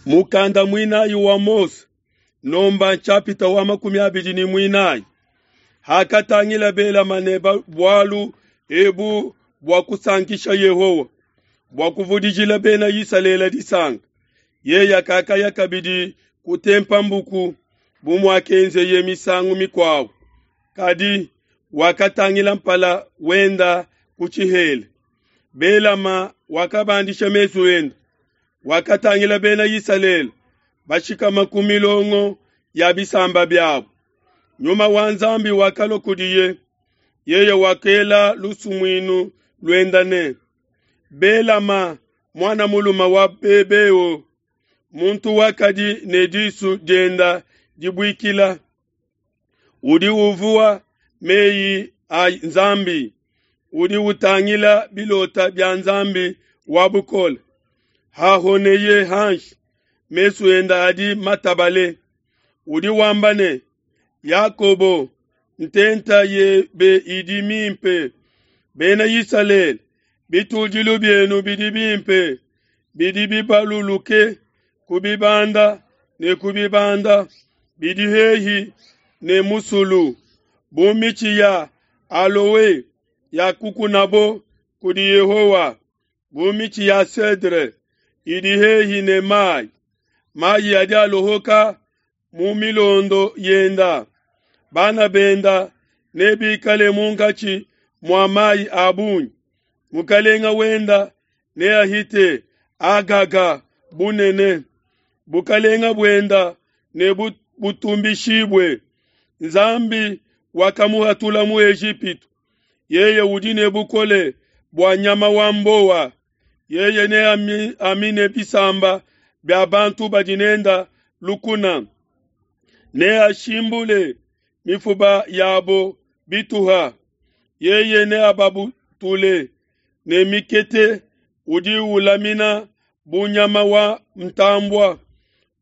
Mukanda muinayi wa Mose, nomba nshapita wa 24. Hakatangila Belama ne bualu ebu bua kusankisha Yehowa, bua kuvudijila Bena Isalele disanka, yeye kakaya kabidi kutempa mbuku bu muakenzeye misangu mikuabo, kadi wakatangila mpala wenda ku tshihela. Belama wakabandisha mesu ende, wakatangila Bena Isalele bashikama ku milongo ya bisamba biabo. Nyuma wa Nzambi wakalua kudiye, yeye wakela lusumuinu luenda ne, Belama muana mulume wa Bebeo, muntu wakadi ne disu dienda dibuikila, udi uvua meyi a Nzambi, udi utangila bilota bia Nzambi wa bukole. Hahoneye hanshi, mesu enda adi matabale. Udi wamba ne, Yakobo, ntenta yebe idi mimpe. Bena Isalele, bitudilu bienu bidi bimpe, bidi bibaluluke ku bibanda ne ku bibanda, bidi hehi ne musulu, bu mitshi ya aloe yakukunabo kudi Yehowa, bu mitshi ya cedre idi hehi ne mayi. Mayi adi alohoka mu milondo yenda, bana benda nebikale munkatshi mua mayi a bungi. Mukalenga wenda neahite Agaga bunene, bukalenga buenda ne butumbishibue. Nzambi wakamuhatula mu Ejipitu, yeye udi ne bukole bua nyama wa mbowa. Yeye neamine bisamba bia bantu badi nenda lukuna, neashimbule mifuba yabo bituha. Yeye neababutule ne mikete, udi ulamina bu nyama wa ntambua,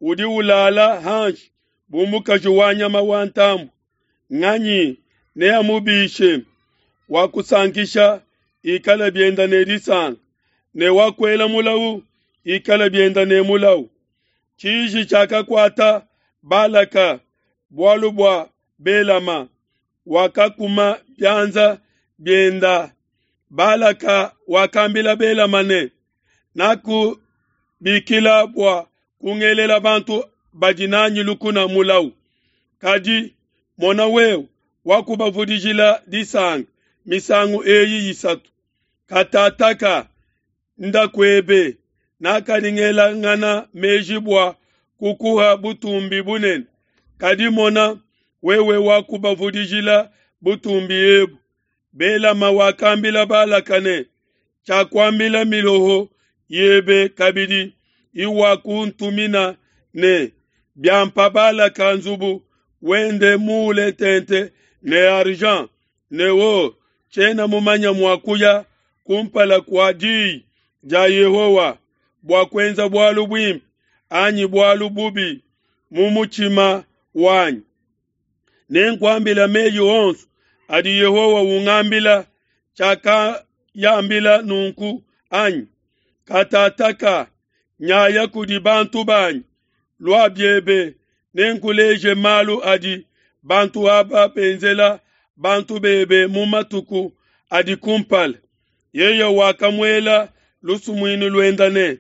udi ulala hanshi bu mukaji wa nyama wa ntambua. Nganyi neamubishe? Wakusankisha ikala bienda ne disanka, ne wakuela mulau ikala bienda ne mulau. Tshiji tshiakakuata Balaka bualu bua Belama, wakakuma bianza bienda. Balaka wakambila Belama ne, Nakubikila bua kungelela bantu badi nanyi lukuna mulau, kadi mona wewe wakubavudijila disanka misangu eyi isatu. Katataka nda kuebe, nakadi ngelangana meji bua kukuha butumbi bunene, kadi mona wewe wakubavudijila butumbi ebu. Belama wakambila Balaka ne, Tshiakuambila miloho yebe kabidi iwakuntumina ne, Biampa Balaka nzubu wende muule tente ne argent ne or, tshiena mumanya mua kuya kumpala kua diyi dia Yehowa bua kuenza bualu buimpe anyi bualu bubi mu mutshima wanyi. Nenkuambila meyi onso adi Yehowa ungambila. Tshiakayambila nunku anyi? Katataka nyaya kudi bantu banyi, lua biebe, nenkuleje malu adi bantu aba benzela bantu bebe mu matuku adi kumpala. Yeye wakamuela lusumuinu luenda ne,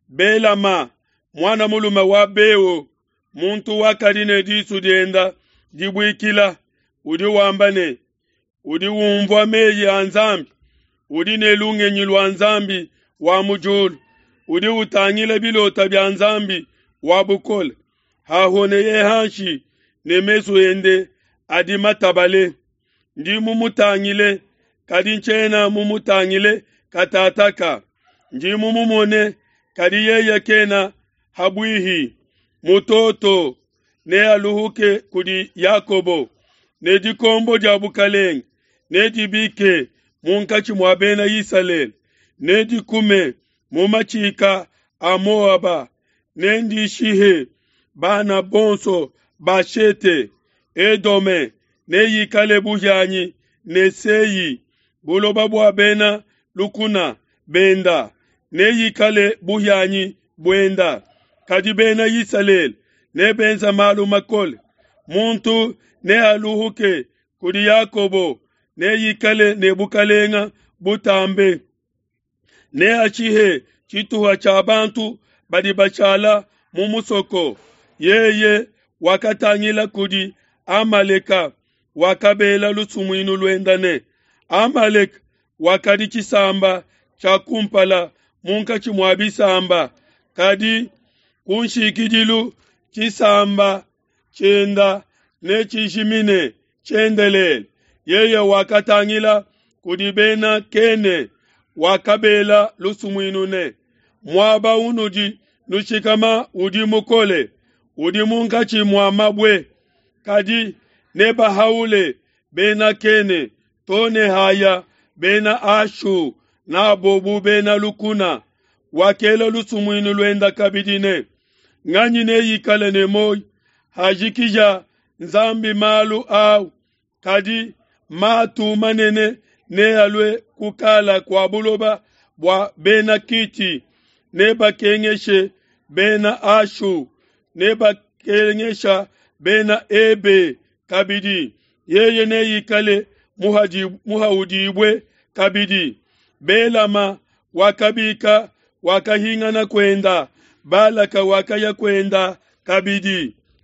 Belama muana mulume wa Beo, muntu wakadi ne disu dienda dibuikila, udi wamba ne, udi umvua meyi a Nzambi, udi ne lungenyi lua Nzambi wa mu diulu, udi utangila bilota bia Nzambi wa bukole. Hahoneye hanshi ne mesu ende adi matabale. Ndi mumutangile, kadi ntshiena mumutangile katataka. Ndi mumumone, kadi yeye kena habuihi. Mutoto nealuhuke kudi Yakobo, ne dikombo dia bukalenge nedibike munkatshi mua Bena Isalele, nedikume mu matshika a Moaba, nendishihe bana bonso ba Shete. Edome neikale buhianyi ne Sei, buloba bua bena lukuna benda neikale buhianyi buenda. Kadi Bena Isalele nebenze malu makole. Muntu nealuhuke kudi Yakobo, neikale ne bukalenga butambe. Neashihe tshituha tshia bantu badi bashala mu musoko. Yeye wakatangila kudi Amaleka, wakabela lusumuinu luenda ne, Amaleka wakadi tshisamba tshia kumpala munkatshi mua bisamba, kadi kunshikidilu tshisamba tshienda netshijimine tshiendelele. Yeye wakatangila kudi bena Kene, wakabela lusumuinu ne, Muaba unudi nushikama udi mukole, udi munkatshi mua mabue, kadi nebahaule bena Kene to ne haya bena Ashu n'abo bu bena lukuna. Wakela lusumuinu luenda kabidi ne, Nganyi neikale ne muoyo hajikija Nzambi malu au? Kadi matu manene nealue kukala kua buloba bua bena Kiti, nebakengeshe bena Ashu, nebakengesha bena Ebe kabidi. Yeye neikale muhaudibue kabidi. Belama wakabika, wakahingana kuenda. Balaka wakaya kuenda kabidi.